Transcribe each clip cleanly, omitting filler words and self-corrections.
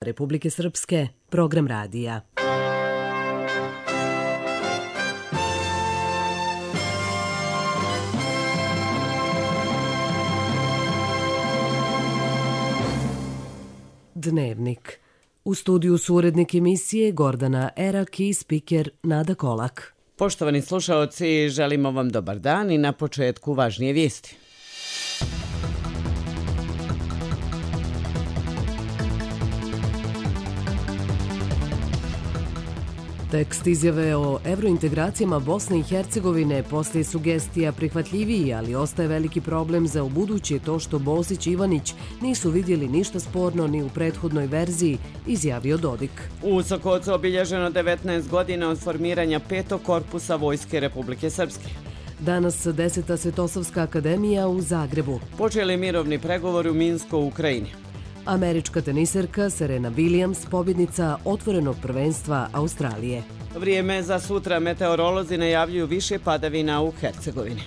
Republike Srpske, program radija. Dnevnik. U studiju su urednik emisije Gordana Erak i spiker Nada Kolak. Poštovani slušaoci, želimo vam dobar dan i na početku važnije vijesti. Tekst izjave o evrointegracijama Bosne i Hercegovine poslije sugestija prihvatljiviji, ali ostaje veliki problem za ubuduće to što Bosić i Ivanić nisu vidjeli ništa sporno ni u prethodnoj verziji, izjavio Dodik. U Sokocu obilježeno 19 godina od formiranja 5. korpusa Vojske Republike Srpske. Danas 10. Svetosavska akademija u Zagrebu. Počeli mirovni pregovori u Minsku u Ukrajini. Američka teniserka Serena Williams, pobjednica otvorenog prvenstva Australije. Vrijeme za sutra, meteorolozi najavljuju više padavina u Hercegovini.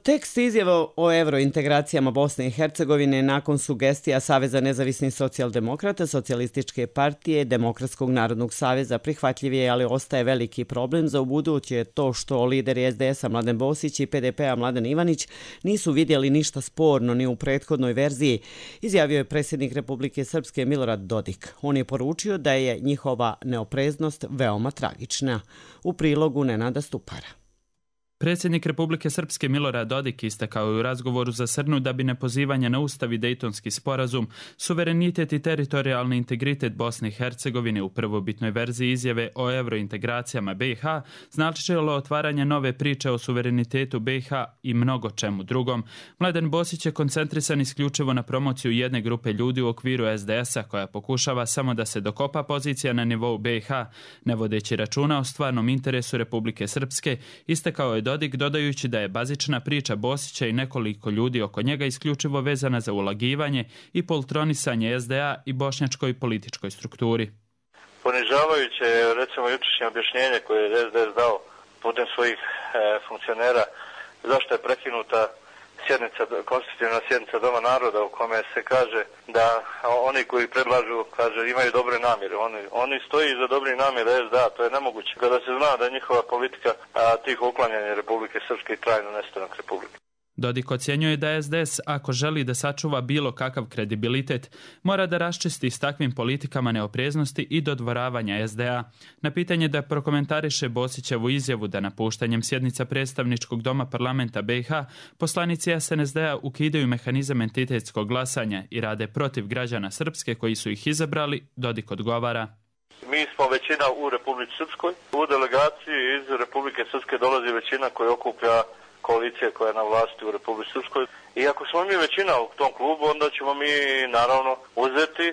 Tekst izjave o evrointegracijama Bosne i Hercegovine nakon sugestija Saveza nezavisnih socijaldemokrata, Socijalističke partije, Demokratskog narodnog saveza prihvatljiv je, ali ostaje veliki problem za ubuduće to što lideri SDS-a Mladen Bosić i PDP-a Mladen Ivanić nisu vidjeli ništa sporno ni u prethodnoj verziji, izjavio je predsjednik Republike Srpske Milorad Dodik. On je poručio da je njihova neopreznost veoma tragična. U prilogu Nenada Stupara. Predsjednik Republike Srpske Milorad Dodik istakao je u razgovoru za Srnu da bi nepozivanje na Ustav i Dejtonski sporazum, suverenitet i teritorijalni integritet Bosne i Hercegovine u prvobitnoj verziji izjave o evrointegracijama BiH značilo otvaranje nove priče o suverenitetu BiH i mnogo čemu drugom. Mladen Bosić je koncentrisan isključivo na promociju jedne grupe ljudi u okviru SDS-a koja pokušava samo da se dokopa pozicija na nivou BiH, ne vodeći računa o stvarnom interesu Republike Srpske, istakao je Dodik dodajući da je bazična priča Bosića i nekoliko ljudi oko njega isključivo vezana za ulagivanje i poltronisanje SDA i bošnjačkoj političkoj strukturi. Ponižavajuće je recimo jučerašnje objašnjenje koje je SDS dao putem svojih funkcionera zašto je prekinuta konstitutivna sjednica Doma naroda u kome se kaže da oni koji predlažu, imaju dobre namjere. Oni stoji iza dobrih namjera SDA, to je nemoguće. Kada se zna da je njihova politika tiho uklanjanje Republike Srpske i trajno nestanak Republike. Dodik ocjenjuje da SDS, ako želi da sačuva bilo kakav kredibilitet, mora da raščisti s takvim politikama neopreznosti i dodvoravanja SDA. Na pitanje da prokomentariše Bosićevu izjavu da napuštanjem sjednica predstavničkog doma parlamenta BiH, poslanici SNSD-a ukidaju mehanizam entitetskog glasanja i rade protiv građana Srpske koji su ih izabrali, Dodik odgovara. Mi smo većina u Republici Srpskoj. U delegaciji iz Republike Srpske dolazi većina koja okuplja koalicije koja je na vlasti u Republici Srpskoj. I ako smo mi većina u tom klubu, onda ćemo mi naravno uzeti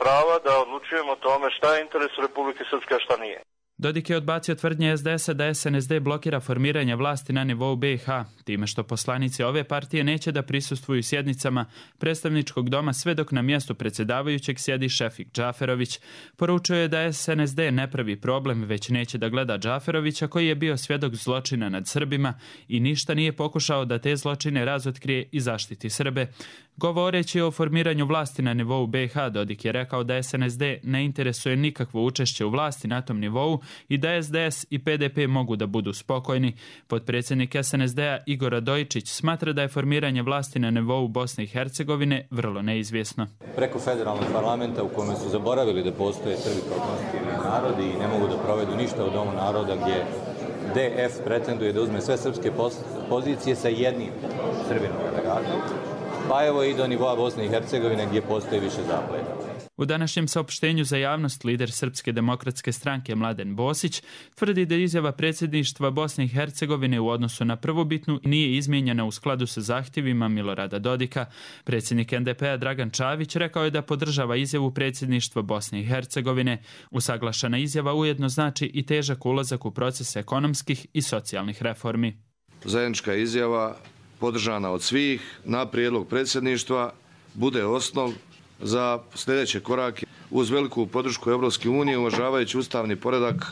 prava da odlučujemo o tome šta je interes Republike Srpske, a šta nije. Dodik je odbacio tvrdnje SDS-a da SNSD blokira formiranje vlasti na nivou BiH, time što poslanici ove partije neće da prisustvuju sjednicama predstavničkog doma sve dok na mjestu predsjedavajućeg sjedi Šefik Džaferović. Poručuje je da SNSD ne pravi problem, već neće da gleda Džaferovića koji je bio svjedok zločina nad Srbima i ništa nije pokušao da te zločine razotkrije i zaštiti Srbe. Govoreći o formiranju vlasti na nivou BiH, Dodik je rekao da SNSD ne interesuje nikakvo učešće u vlasti na tom nivou i da SDS i PDP mogu da budu spokojni. Potpredsjednik SNSD-a Igor Radojičić smatra da je formiranje vlasti na nivou Bosne i Hercegovine vrlo neizvjesno. Preko federalnog parlamenta u kome su zaboravili da postoje Srbi kao konstitutivni narodi i ne mogu da provedu ništa u Domu naroda gdje DF pretenduje da uzme sve srpske pozicije sa jednim Srbinom delegatom, pa evo i do nivoa Bosne i Hercegovine gdje postoji više zapleta. U današnjem saopštenju za javnost lider Srpske demokratske stranke Mladen Bosić tvrdi da izjava predsjedništva Bosne i Hercegovine u odnosu na prvobitnu nije izmijenjena u skladu sa zahtjevima Milorada Dodika. Predsjednik NDP-a Dragan Čavić rekao je da podržava izjavu predsjedništva Bosne i Hercegovine. Usaglašena izjava ujedno znači i težak ulazak u proces ekonomskih i socijalnih reformi. Zajednička izjava podržana od svih na prijedlog predsjedništva bude osnov za sljedeće korake uz veliku podršku Europske unije, uvažavajući ustavni poredak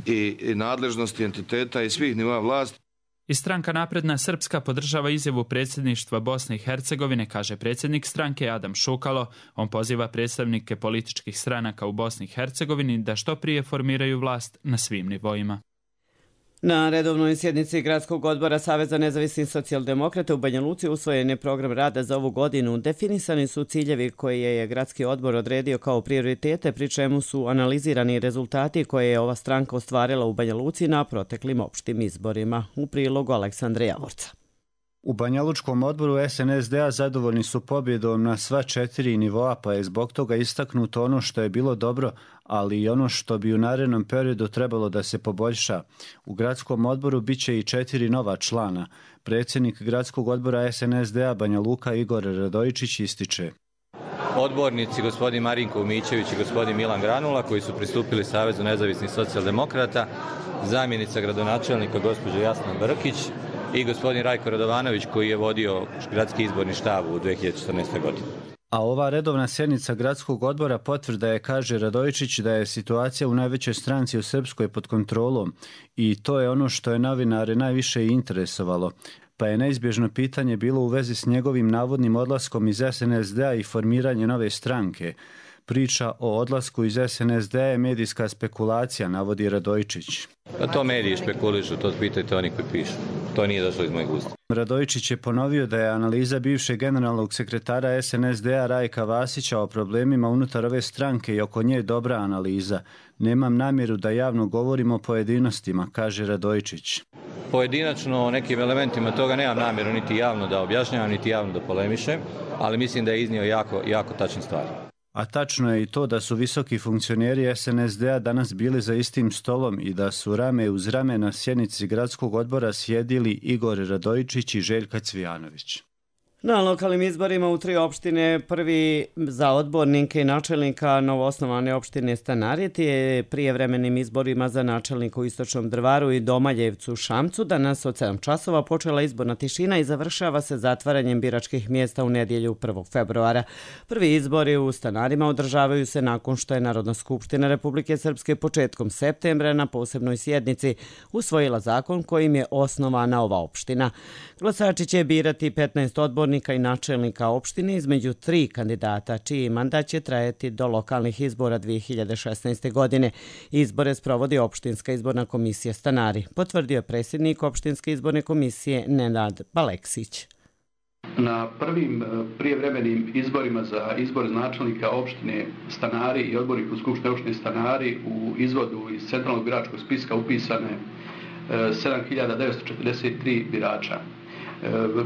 i nadležnosti entiteta i svih nivoa vlasti. I stranka Napredna Srpska podržava izjavu predsjedništva Bosne i Hercegovine, kaže predsjednik stranke Adam Šukalo. On poziva predstavnike političkih stranaka u Bosni i Hercegovini da što prije formiraju vlast na svim nivoima. Na redovnoj sjednici Gradskog odbora Saveza nezavisnih socijaldemokrata u Banja Luci usvojen je program rada za ovu godinu. Definisani su ciljevi koje je Gradski odbor odredio kao prioritete, pri čemu su analizirani rezultati koje je ova stranka ostvarila u Banja Luci na proteklim opštim izborima. U prilogu Aleksandra Javorca. U Banja Lučkom odboru SNSD-a zadovoljni su pobjedom na sva 4 nivoa, pa je zbog toga istaknuto ono što je bilo dobro, ali i ono što bi u narednom periodu trebalo da se poboljša. U gradskom odboru biće i 4 nova člana. Predsjednik gradskog odbora SNSD-a Banja Luka Igor Radojičić ističe. Odbornici gospodin Marinko Umićević i gospodin Milan Granula koji su pristupili Savezu nezavisnih socijaldemokrata, zamjenica gradonačelnika gospođa Jasna Brkić i gospodin Rajko Radovanović koji je vodio gradski izborni štab u 2014. godini. A ova redovna sjednica gradskog odbora potvrda je, kaže Radojičić, da je situacija u najvećoj stranci u Srpskoj pod kontrolom i to je ono što je novinare najviše interesovalo. Pa je neizbježno pitanje bilo u vezi s njegovim navodnim odlaskom iz SNSD-a i formiranje nove stranke. Priča o odlasku iz SNSD-a je medijska spekulacija, navodi Radojičić. Pa to mediji špekulišu, to pitajte oni koji pišu. To nije došlo iz mojeg usta. Radojičić je ponovio da je analiza bivšeg generalnog sekretara SNSD-a Rajka Vasića o problemima unutar ove stranke i oko nje dobra analiza. Nemam namjeru da javno govorim o pojedinostima, kaže Radojičić. Pojedinačno o nekim elementima toga nemam namjeru niti javno da objašnjavam, niti javno da polemišem, ali mislim da je iznio jako tačne stvari. A tačno je i to da su visoki funkcioneri SNSD-a danas bili za istim stolom i da su rame uz rame na sjednici gradskog odbora sjedili Igor Radojičić i Željka Cvijanović. Na lokalnim izborima u 3 opštine, prvi za odbornike i načelnika novoosnovane opštine Stanari, je prijevremenim izborima za načelnika u Istočnom Drvaru i Domaljevcu Šamcu danas od 7 časova počela izborna tišina i završava se zatvaranjem biračkih mjesta u nedjelju 1. februara. Prvi izbori u Stanarima održavaju se nakon što je Narodna skupština Republike Srpske početkom septembra na posebnoj sjednici usvojila zakon kojim je osnovana ova opština. Glasači će birati 15 odbornika i načelnika opštine između 3 kandidata, čiji mandat će trajati do lokalnih izbora 2016. godine. Izbore sprovodi Opštinska izborna komisija Stanari, potvrdio je predsjednik Opštinske izborne komisije Nenad Baleksić. Na prvim prijevremenim izborima za izbor načelnika opštine Stanari i odbornika u Skupštini opštine Stanari u izvodu iz centralnog biračkog spiska upisane 7.943 birača.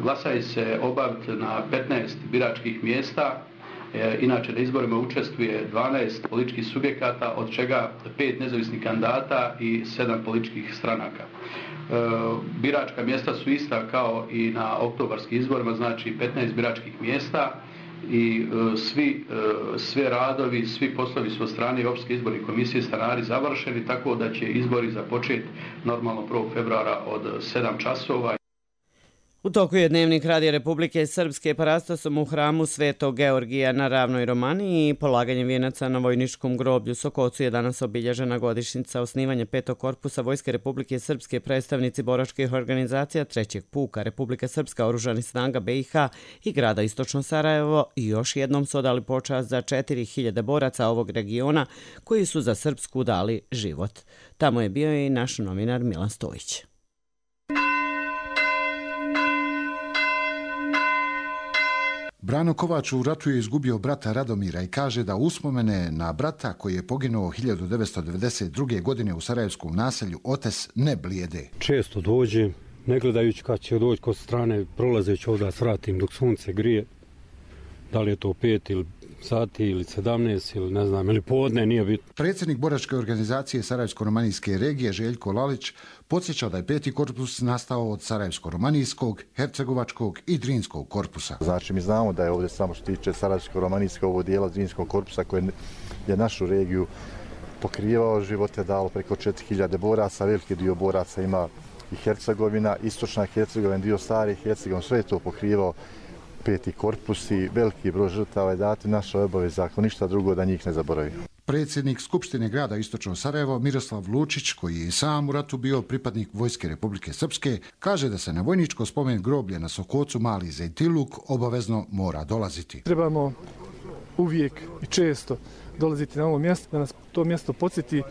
Glasanje se obaviti na 15 biračkih mjesta. Inače na izborima učestvuje 12 političkih subjekata, od čega 5 nezavisnih kandidata i 7 političkih stranaka. Biračka mjesta su ista kao i na oktobarskim izborima, znači 15 biračkih mjesta i sve radovi, svi poslovi su od strane Opštinske izborne komisije Stanari završeni, tako da će izbori započeti normalno 1. februara od 7 časova. U toku je dnevnik Radija Republike Srpske parastosom u hramu Svetog Georgija na Ravnoj Romaniji i polaganjem vijenaca na vojničkom groblju Sokocu je danas obilježena godišnjica osnivanja 5. korpusa Vojske Republike Srpske, predstavnici boračkih organizacija 3. puka Republika Srpska, oružanih snaga BiH i grada Istočno Sarajevo i još jednom su odali počast za 4000 boraca ovog regiona koji su za Srpsku dali život. Tamo je bio i naš novinar Milan Stojić. Brano Kovač u ratu je izgubio brata Radomira i kaže da uspomene na brata koji je poginuo 1992. godine u sarajevskom naselju Otes ne blijede. Često dođem, ne gledajući kad će doći kod strane, prolazeći ovdje svratim dok sunce grije. Da li je to 5 ili sati ili 17 ili ne znam, ili podne, nije bitno. Predsjednik boračke organizacije Sarajevsko-romanijske regije Željko Lalić podsjeća da je 5. korpus nastao od Sarajevsko-romanijskog, Hercegovačkog i Drinskog korpusa. Znači mi znamo da je ovdje samo što tiče Sarajevsko-romanijskog ovo dijela Drinskog korpusa koje je našu regiju pokrivao, život je dalo preko 4000 boraca, veliki dio boraca ima i Hercegovina, istočna Hercegovina, dio stari Hercegovina, sve je to pokrivao 5. korpus i veliki broj žrtava je dati naša obaveza, ako ništa drugo da njih ne zaboravimo. Predsjednik Skupštine grada Istočno Sarajevo Miroslav Lučić, koji je i sam u ratu bio pripadnik Vojske Republike Srpske, kaže da se na vojničko spomen groblje na Sokocu Mali Zejtiluk obavezno mora dolaziti. Trebamo uvijek i često dolaziti na ovo mjesto, da nas to mjesto podsjeti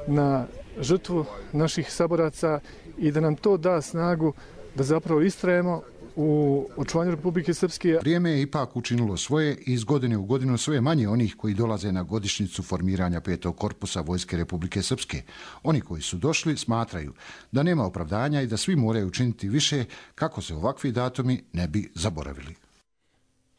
na žrtvu naših saboraca i da nam to da snagu da zapravo istrajemo u očuvanju Republike Srpske. Vrijeme je ipak učinilo svoje i iz godine u godinu sve manje onih koji dolaze na godišnjicu formiranja 5. korpusa Vojske Republike Srpske. Oni koji su došli smatraju da nema opravdanja i da svi moraju učiniti više kako se ovakvi datumi ne bi zaboravili.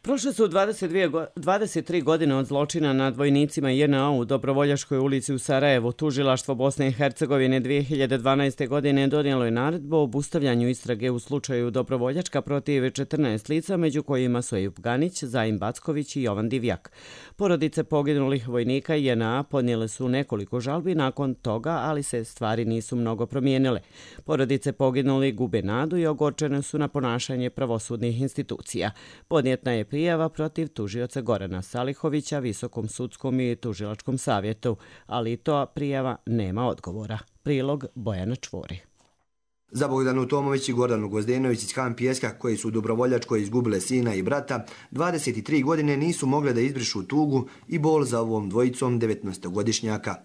Prošle su 23 godine od zločina nad vojnicima JNA u Dobrovoljačkoj ulici u Sarajevu. Tužilaštvo Bosne i Hercegovine 2012. godine donijelo je naredbu o obustavljanju istrage u slučaju Dobrovoljačka protiv 14 lica, među kojima su Ejub Ganić, Zaim Backović i Jovan Divjak. Porodice poginulih vojnika JNA podnijele su nekoliko žalbi nakon toga, ali se stvari nisu mnogo promijenile. Porodice poginulih gube nadu i ogorčene su na ponašanje pravosudnih institucija. Podnijetna je prijava protiv tužioca Gorana Salihovića, Visokom sudskom i tužilačkom savjetu, ali to prijava nema odgovora. Prilog Bojana Čvori. Za Bogdanu Tomović i Gordanu Gvozdenović iz Han Pijeska, koji su u Dobrovoljačkoj izgubile sina i brata, 23 godine nisu mogle da izbrišu tugu i bol za ovom dvojicom 19-godišnjaka.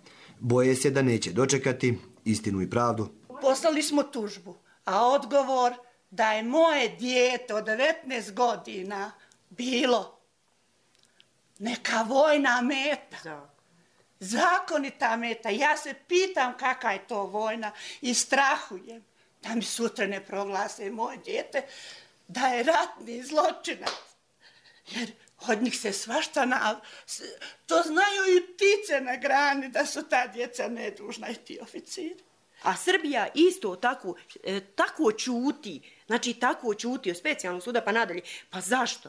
Boje se da neće dočekati istinu i pravdu. Poslali smo tužbu, a odgovor da je moje dijete od 19 godina bilo neka vojna meta, zakonita meta. Ja se pitam kakva je to vojna i strahujem da mi sutra ne proglase moje dijete da je ratni zločinac. Jer od njih se svašta to znaju i ptice na grani da su ta djeca nedužna i ti oficiri. A Srbija isto tako ćuti, znači tako ćuti od specijalnog suda pa nadalje. Pa zašto?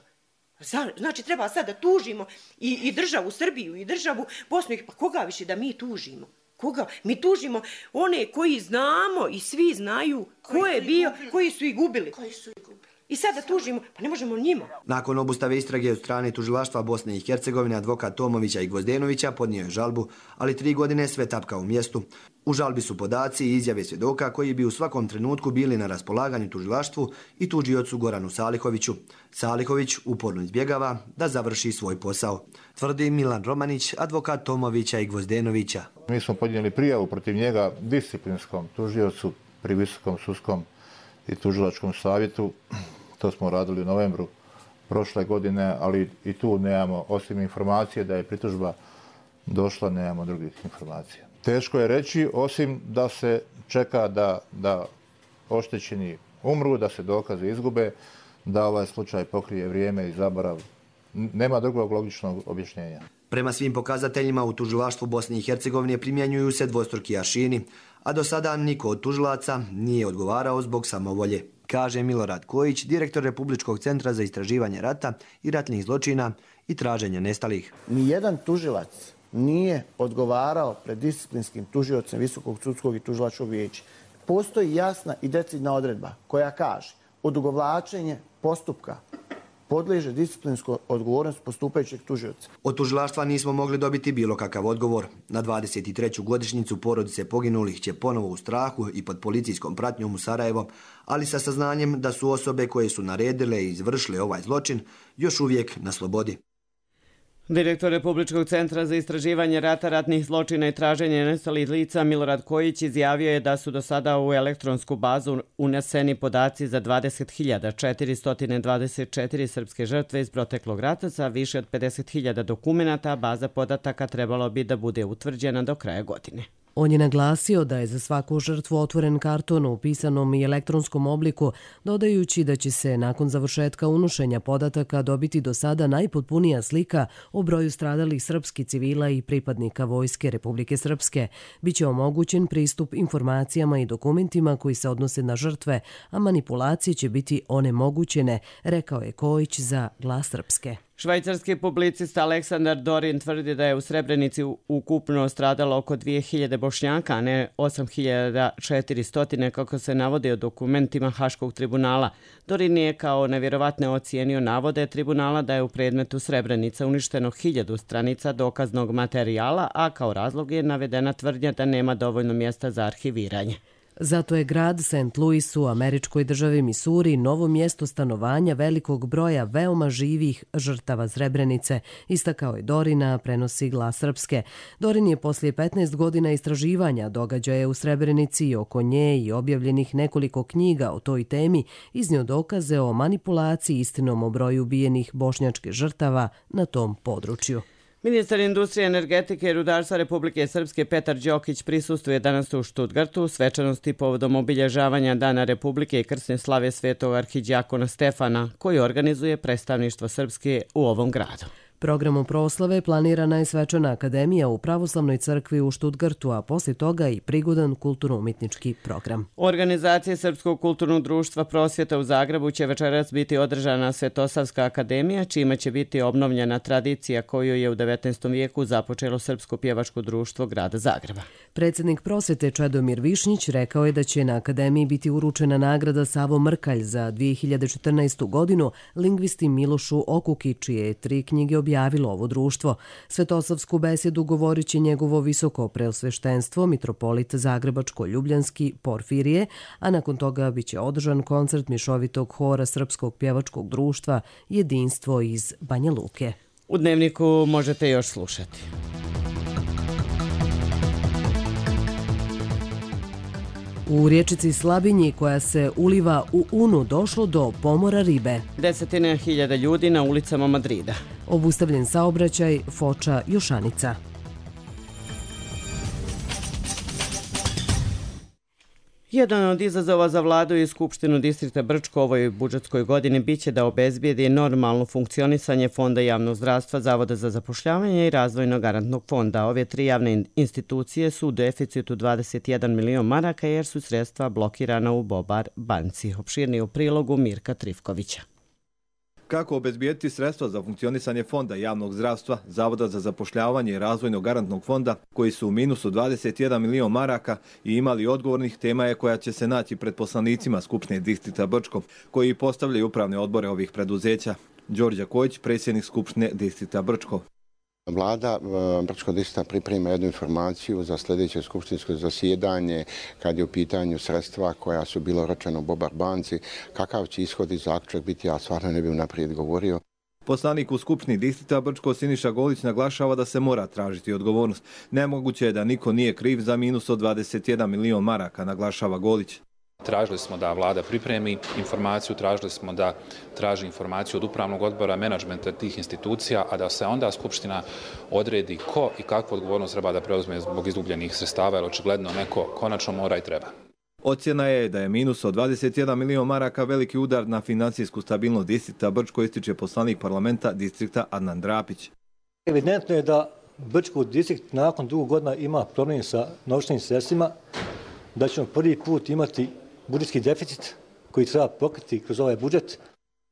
Znači treba sad da tužimo i državu Srbiju i državu Bosnu. Pa koga više da mi tužimo? Koga? Mi tužimo one koji znamo i svi znaju ko je bio, koji su ih gubili. I sad da tužimo, pa ne možemo njima. Nakon obustave istrage od strane tužilaštva Bosne i Hercegovine, advokat Tomovića i Gvozdenovića podnio je žalbu, ali 3 godine sve tapka u mjestu. U žalbi su podaci i izjave svjedoka koji bi u svakom trenutku bili na raspolaganju tužilaštvu i tužiocu Goranu Salihoviću. Salihović uporno izbjegava da završi svoj posao, tvrdi Milan Romanić, advokat Tomovića i Gvozdenovića. Mi smo podnijeli prijavu protiv njega disciplinskom tužiocu pri Visokom sudskom i tužilačkom savjetu. To smo radili u novembru prošle godine, ali i tu nemamo, osim informacije da je pritužba došla, nemamo drugih informacija. Teško je reći, osim da se čeka da oštećeni umru, da se dokaze izgube, da ovaj slučaj pokrije vrijeme i zaborav. Nema drugog logičnog objašnjenja. Prema svim pokazateljima u tužilaštvu Bosne i Hercegovine primjenjuju se dvostruki aršini, a do sada niko od tužilaca nije odgovarao zbog samovolje, kaže Milorad Kojić, direktor Republičkog centra za istraživanje rata i ratnih zločina i traženja nestalih. Nijedan tužilac nije odgovarao pred disciplinskim tužiocem Visokog sudskog i tužilačkog vijeća. Postoji jasna i decidna odredba koja kaže odugovlačenje postupka podliježe disciplinskoj odgovornosti postupajućeg tužioca. Od tužilaštva nismo mogli dobiti bilo kakav odgovor. Na 23. godišnjicu porodice poginulih će ponovo u strahu i pod policijskom pratnjom u Sarajevo, ali sa saznanjem da su osobe koje su naredile i izvršile ovaj zločin još uvijek na slobodi. Direktor Republičkog centra za istraživanje rata, ratnih zločina i traženje nestalih lica Milorad Kojić izjavio je da su do sada u elektronsku bazu uneseni podaci za 20.424 srpske žrtve iz proteklog rata sa više od 50.000 dokumenata, a baza podataka trebalo bi da bude utvrđena do kraja godine. On je naglasio da je za svaku žrtvu otvoren karton u pisanom i elektronskom obliku, dodajući da će se nakon završetka unošenja podataka dobiti do sada najpotpunija slika o broju stradalih srpskih civila i pripadnika Vojske Republike Srpske. Biće omogućen pristup informacijama i dokumentima koji se odnose na žrtve, a manipulacije će biti onemogućene, rekao je Kojić za Glas Srpske. Švajcarski publicista Aleksandar Dorin tvrdi da je u Srebrenici ukupno stradalo oko 2000 Bošnjaka, a ne 8400, kako se navodi u dokumentima Haškog tribunala. Dorin je kao nevjerovatne ocijenio navode tribunala da je u predmetu Srebrenica uništeno 1000 stranica dokaznog materijala, a kao razlog je navedena tvrdnja da nema dovoljno mjesta za arhiviranje. Zato je grad St. Louis u američkoj državi Misuri novo mjesto stanovanja velikog broja veoma živih žrtava Srebrenice, istakao je Dorina, prenosi Glas Srpske. Dorin je poslije 15 godina istraživanja događaja u Srebrenici i oko nje i objavljenih nekoliko knjiga o toj temi iznio dokaze o manipulaciji istinom o broju ubijenih bošnjačkih žrtava na tom području. Ministar industrije, energetike i rudarstva Republike Srpske Petar Đokić prisustvuje danas u Štutgartu svečanosti povodom obilježavanja Dana Republike i krsne slave svetog arhidijakona Stefana, koji organizuje predstavništvo Srpske u ovom gradu. Programom proslave planirana je svečana akademija u Pravoslavnoj crkvi u Štutgartu, a poslije toga i prigodan kulturno-umjetnički program. U organizaciji Srpskog kulturnog društva Prosvjeta u Zagrebu će večeras biti održana Svetosavska akademija, čime će biti obnovljena tradicija koju je u 19. vijeku započelo Srpsko pjevačko društvo grada Zagreba. Predsjednik Prosvjete Čedomir Višnjić rekao je da će na akademiji biti uručena nagrada Savo Mrkalj za 2014. godinu lingvisti Milošu Okuki, čije je 3 knjige objavilo ovo društvo. Svetosavsku besedu govorit će njegovo visoko preosveštenstvo, mitropolit Zagrebačko-Ljubljanski Porfirije, a nakon toga biće održan koncert mišovitog hora Srpskog pjevačkog društva Jedinstvo iz Banja Luke. U Dnevniku možete još slušati. U riječici Slabinji, koja se uliva u Unu, došlo do pomora ribe. 10.000 ljudi na ulicama Madrida. Obustavljen saobraćaj Foča Jošanica. Jedan od izazova za vladu i Skupštinu distrikta Brčko ovoj budžetskoj godini biće da obezbijedi normalno funkcionisanje Fonda javnog zdravstva, Zavoda za zapošljavanje i Razvojnog garantnog fonda. Ove 3 javne institucije su u deficitu 21 milion maraka jer su sredstva blokirana u Bobar banci. Opširniji u prilogu Mirka Trifkovića. Kako obezbijeti sredstva za funkcionisanje Fonda javnog zdravstva, Zavoda za zapošljavanje i Razvojnog garantnog fonda, koji su u minusu 21 milion maraka i imali odgovornih, tema je koja će se naći pred poslanicima Skupštine distrikta Brčko, koji postavljaju upravne odbore ovih preduzeća. Đorđe Kojić, predsjednik Skupštine distrikta Brčko. Vlada Brčkog distrikta priprema jednu informaciju za sljedeće skupštinsko zasjedanje kad je u pitanju sredstva koja su bilo ročena u Bobar banci. Kakav će ishod i zaključak biti, ja stvarno ne bih naprijed govorio. Poslanik u Skupštini distrikta Brčko Siniša Golić naglašava da se mora tražiti odgovornost. Nemoguće je da niko nije kriv za minus od 21 milion maraka, naglašava Golić. Tražili smo da vlada pripremi informaciju, tražili smo da traži informaciju od upravnog odbora, menadžmenta tih institucija, a da se onda Skupština odredi ko i kakvu odgovornost treba da preuzme zbog izgubljenih sredstava, jer očigledno neko konačno mora i treba. Ocjena je da je minus od 21 milion maraka veliki udar na financijsku stabilnost distrikta Brčko, ističe poslanik parlamenta distrikta Adnan Drapić. Evidentno je da Brčko distrikt nakon dugo godina ima problem sa novčanim sredstvima, da ćemo prvi put imati budžetski deficit koji treba pokriti kroz ovaj budžet.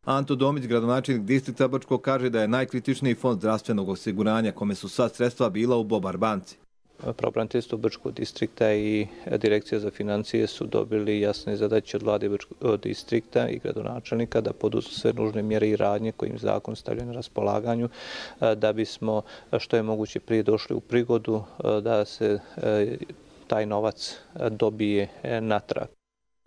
Anto Domić, gradonačelnik distrikta Brčko, kaže da je najkritičniji fond zdravstvenog osiguranja kome su sva sredstva bila u Bobar banci. Pravobraniteljstvo Brčkog distrikta i Direkcija za financije su dobili jasne zadaće od vlade Brčkog distrikta i gradonačelnika da poduzmu sve nužne mjere i radnje kojim zakon stavlja na raspolaganju da bismo što je moguće prije došli u prigodu da se taj novac dobije natrag.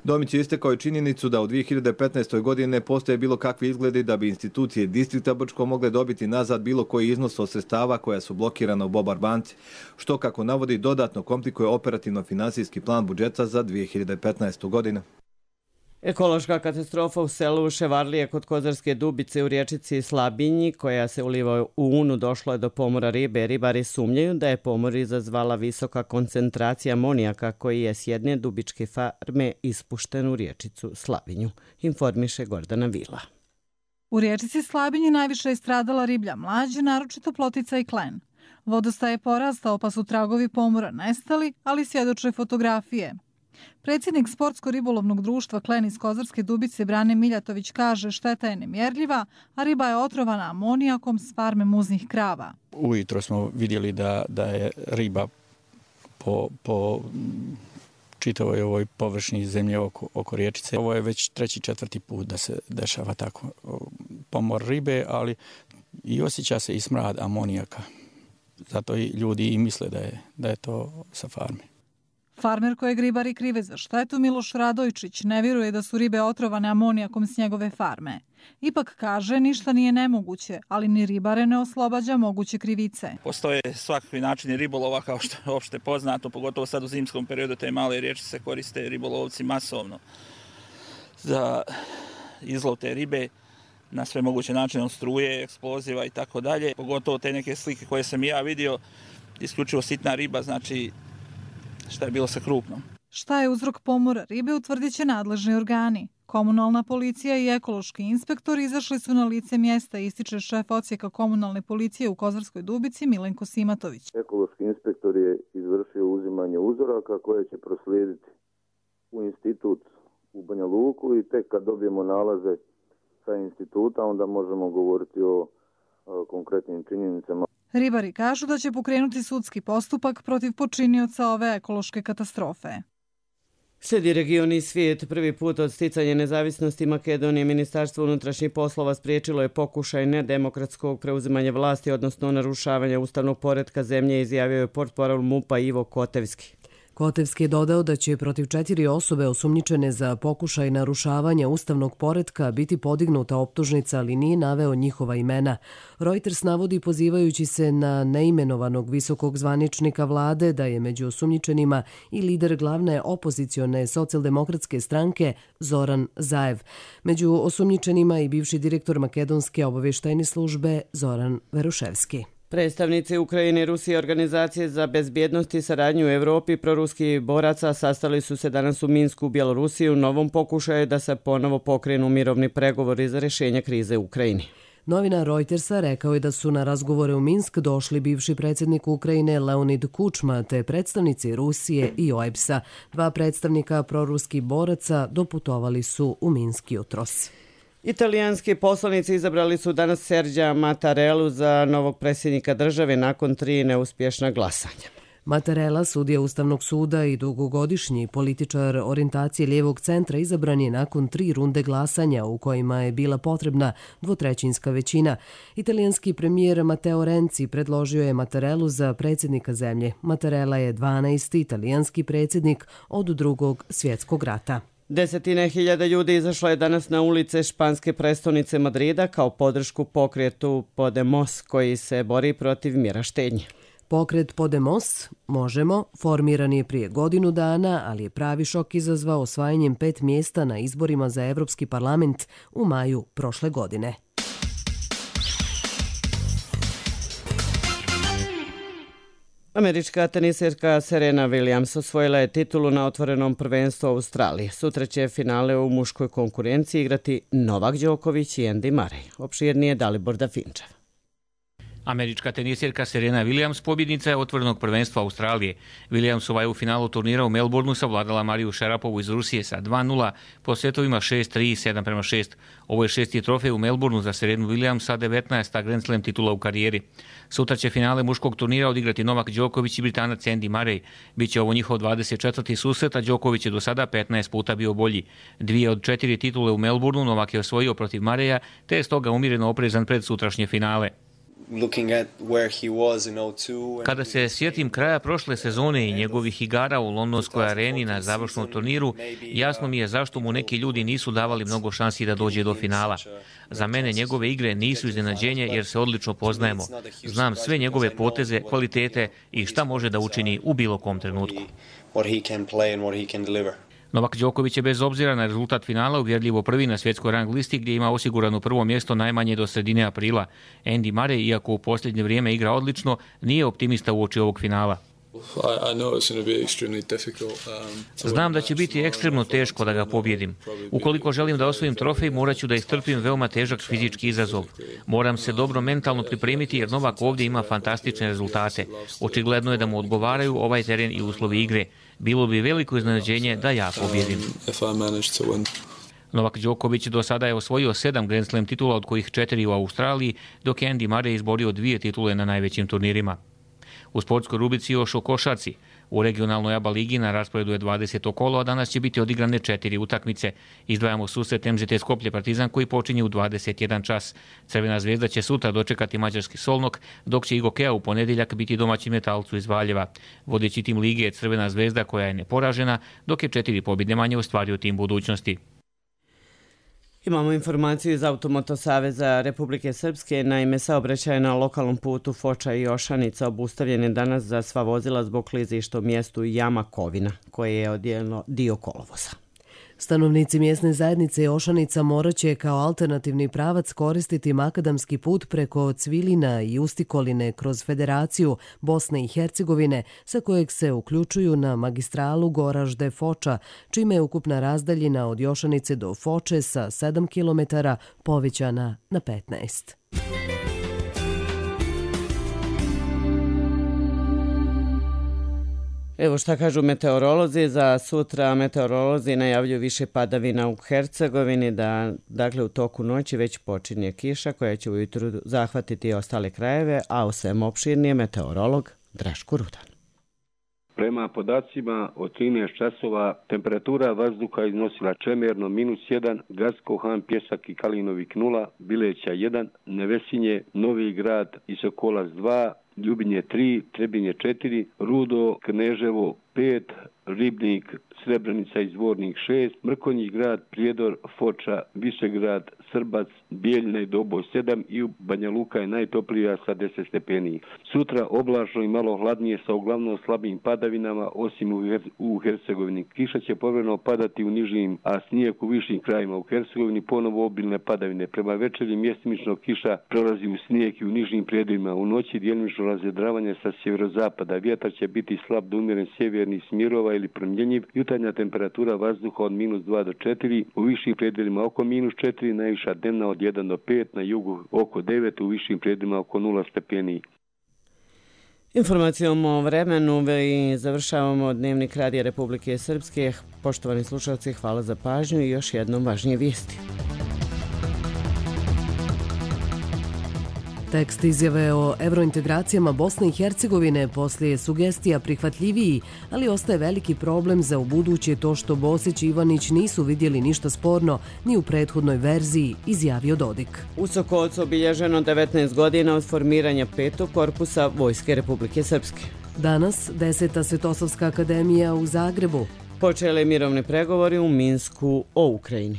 Domić je istakao i činjenicu da u 2015. godini ne postoje bilo kakvi izgledi da bi institucije distrikta Brčko mogle dobiti nazad bilo koji iznos od sredstava koja su blokirana u Bobar banci, što, kako navodi, dodatno komplikuje operativno-finansijski plan budžeta za 2015. godinu. Ekološka katastrofa u selu Ševarlije kod Kozarske Dubice u riječici Slabinji, koja se uliva u Unu, došlo je do pomora ribe. Ribari sumnjaju da je pomor izazvala visoka koncentracija amonijaka koji je s jedne dubičke farme ispušten u riječicu Slabinju, informiše Gordana Vila. U riječici Slabinji najviše je stradala riblja mlađ, naročito plotica i klen. Vodostaj je porastao pa su tragovi pomora nestali, ali svjedoče fotografije. Predsjednik Sportsko-ribolovnog društva Klen iz Kozarske Dubice Brane Miljatović kaže šteta je nemjerljiva, a riba je otrovana amonijakom s farme muznih krava. Ujutro smo vidjeli da je riba po čitavoj ovoj površini zemlje oko riječice. Ovo je već 3. 4. put da se dešava tako pomor ribe, ali i osjeća se i smrad amonijaka. Zato i ljudi i misle da je to sa farme. Farmer kojeg ribari krive za štetu, Miloš Radojčić, ne vjeruje da su ribe otrovane amonijakom s njegove farme. Ipak kaže, ništa nije nemoguće, ali ni ribare ne oslobađa moguće krivice. Postoje svakakvi načini ribolova, kao što je opšte poznato, pogotovo sad u zimskom periodu, te male riječice se koriste ribolovci masovno za izlov te ribe na sve moguće načine, od struje, eksploziva i tako dalje. Pogotovo te neke slike koje sam i ja vidio, isključivo sitna riba, znači šta je bilo sa krupnom. Šta je uzrok pomora ribe utvrdit će nadležni organi. Komunalna policija i ekološki inspektor izašli su na lice mjesta, ističe šef odsjeka komunalne policije u Kozarskoj Dubici Milenko Simatović. Ekološki inspektor je izvršio uzimanje uzoraka koje će proslijediti u institut u Banja Luku i tek kad dobijemo nalaze sa instituta onda možemo govoriti o konkretnim činjenicama. Ribari kažu da će pokrenuti sudski postupak protiv počinioca ove ekološke katastrofe. Slijedi region i svijet. Prvi put od sticanja nezavisnosti Makedonije Ministarstvo unutrašnjih poslova spriječilo je pokušaj nedemokratskog preuzimanja vlasti, odnosno narušavanja ustavnog poretka zemlje, izjavio je portparol MUP-a Ivo Kotevski. Kotevski je dodao da će protiv 4 osobe osumnjičene za pokušaj narušavanja ustavnog poretka biti podignuta optužnica, ali nije naveo njihova imena. Reuters navodi, pozivajući se na neimenovanog visokog zvaničnika vlade, da je među osumnjičenima i lider glavne opozicione socijaldemokratske stranke Zoran Zaev. Među osumnjičenima i bivši direktor makedonske obavještajne službe Zoran Veruševski. Predstavnici Ukrajine, Rusije i Organizacije za bezbjednost i saradnju u Evropi proruskih boraca sastali su se danas u Minsku u Bjelorusiji u novom pokušaju da se ponovo pokrenu mirovni pregovori za rješenje krize u Ukrajini. Novinar Reutersa rekao je da su na razgovore u Minsk došli bivši predsjednik Ukrajine Leonid Kučma te predstavnici Rusije i OEBS-a. 2 predstavnika proruskih boraca doputovali su u Minsk jutros. Italijanski poslanici izabrali su danas Sergija Mattarellu za novog predsjednika države nakon 3 neuspješna glasanja. Mattarella, sudija Ustavnog suda i dugogodišnji političar orijentacije lijevog centra, izabran je nakon 3 runde glasanja u kojima je bila potrebna 2/3 većina. Italijanski premijer Matteo Renzi predložio je Mattarellu za predsjednika zemlje. Mattarella je 12. italijanski predsjednik od Drugog svjetskog rata. 10.000 ljudi izašlo je danas na ulice španske prestonice Madrida kao podršku pokretu Podemos koji se bori protiv mjera štednje. Pokret Podemos, Možemo, formiran je prije godinu dana, ali je pravi šok izazvao osvajanjem 5 mjesta na izborima za Evropski parlament u maju prošle godine. Američka teniserka Serena Williams osvojila je titulu na otvorenom prvenstvu Australije. Sutra će finale u muškoj konkurenciji igrati Novak Đoković i Andy Murray. Opširnije Dalibor Dafinčev. Američka tenisirka Serena Williams pobjednica je otvorenog prvenstva Australije. Williamsova je u finalu turnira u Melbourneu savladala Mariju Šarapovu iz Rusije sa 2:0 po setovima 6-3 i 7:6. Ovo je 6. trofej u Melbourneu za Serenu Williams, a 19. Grand Slam titula u karijeri. Sutra će finale muškog turnira odigrati Novak Đoković i Britanac Andy Murray. Biće ovo njihov 24. susret, a Đoković je do sada 15 puta bio bolji. 2 od 4 titule u Melbourneu Novak je osvojio protiv Murraya, te je stoga umjereno oprezan pred sutrašnje finale. Kada se sjetim kraja prošle sezone i njegovih igara u londonskoj areni na završnom turniru, jasno mi je zašto mu neki ljudi nisu davali mnogo šansi da dođe do finala. Za mene njegove igre nisu iznenađenje jer se odlično poznajemo. Znam sve njegove poteze, kvalitete i šta može da učini u bilo kom trenutku. Novak Đoković je bez obzira na rezultat finala uvjerljivo prvi na svjetskoj rang listi gdje ima osigurano prvo mjesto najmanje do sredine aprila. Andy Murray, iako u posljednje vrijeme igra odlično, nije optimista uoči ovog finala. Znam da će biti ekstremno teško da ga pobjedim. Ukoliko želim da osvojim trofej, morat ću da istrpim veoma težak fizički izazov. Moram se dobro mentalno pripremiti jer Novak ovdje ima fantastične rezultate. Očigledno je da mu odgovaraju ovaj teren i uslovi igre. Bilo bi veliko iznenađenje da ja pobjedim. Novak Đoković do sada je osvojio 7 Grand Slam titula, od kojih 4 u Australiji, dok je Andy Murray izborio 2 titule na najvećim turnirima. U sportskoj rubrici još o košarci. U regionalnoj ABA ligi na rasporedu je 20. kolo, a danas će biti odigrane 4 utakmice. Izdvajamo susret MZT Skoplje Partizan koji počinje u 21 čas. Crvena zvezda će sutra dočekati mađarski Solnok, dok će Igokea u ponedjeljak biti domaćin Metalcu iz Valjeva. Vodeći tim lige je Crvena zvezda koja je neporažena, dok je 4 pobjede manje ostvario tim budućnosti. Imamo informaciju iz Automoto Saveza Republike Srpske. Naime, saobraćaj na lokalnom putu Foča i Ošanica obustavljen je danas za sva vozila zbog klizišta u mjestu Jama Kovina, koje je odjelno dio kolovoza. Stanovnici mjesne zajednice Ošanica morat će kao alternativni pravac koristiti makadamski put preko Cvilina i Ustikoline kroz Federaciju Bosne i Hercegovine, sa kojeg se uključuju na magistralu Goražde-Foča, čime je ukupna razdaljina od Ošanice do Foče sa 7 km povećana na 15. Evo šta kažu meteorolozi. Za sutra meteorolozi najavljuju više padavina u Hercegovini, da dakle u toku noći već počinje kiša koja će ujutru zahvatiti ostale krajeve, a o svem opširnije meteorolog Draško Rudan. Prema podacima od 13 časova temperatura vazduha iznosila Čemerno -1, Gacko, Han, Pjesak i Kalinovik 0, Bileća 1, Nevesinje, Novi Grad i Sokolac 2, Ljubinje 3, Trebinje 4, Rudo, Kneževo 5, Ribnik, Srebrenica i Zvornik 6, Mrkonji Grad, Prijedor, Foča, Višegrad, Srbac, Bijeljina i Doboj 7 i Banja Luka je najtoplija sa 10 stepeni. Sutra oblačno i malo hladnije sa uglavnom slabim padavinama, osim u Hercegovini. Kiša će povremeno padati u nižim, a snijeg u višim krajima. U Hercegovini ponovo obilne padavine. Prema večeri mjestimično kiša prelazi u snijeg i u nižim prijedovima. U noći djelimično razvedravanje sa sjeverozapada. Vjetar će biti slab do umjeren sjeverni smjerova ili promjenjiv. Jutarnja temperatura vazduha od -2 do 4, u višim predjelima oko -4, najviša dnevna od 1 do 5, na jugu oko 9, u višim predjelima oko 0 stepeni. Informacijom o vremenu i završavamo Dnevnik Radija Republike Srpske. Poštovani slušalci, hvala za pažnju i još jednom važnije vijesti. Tekst izjave o evrointegracijama Bosne i Hercegovine poslije sugestija prihvatljiviji, ali ostaje veliki problem za ubuduće to što Bosić i Ivanić nisu vidjeli ništa sporno ni u prethodnoj verziji, izjavio Dodik. U Sokolcu obilježeno 19 godina od formiranja 5. korpusa Vojske Republike Srpske. Danas 10. Svetosavska akademija u Zagrebu. Počele mirovne pregovori u Minsku o Ukrajini.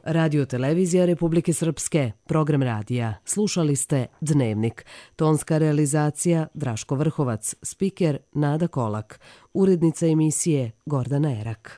Radio Televizija Republike Srpske, program radija. Slušali ste Dnevnik. Tonska realizacija Draško Vrhovac, spiker Nada Kolak, urednica emisije Gordana Erak.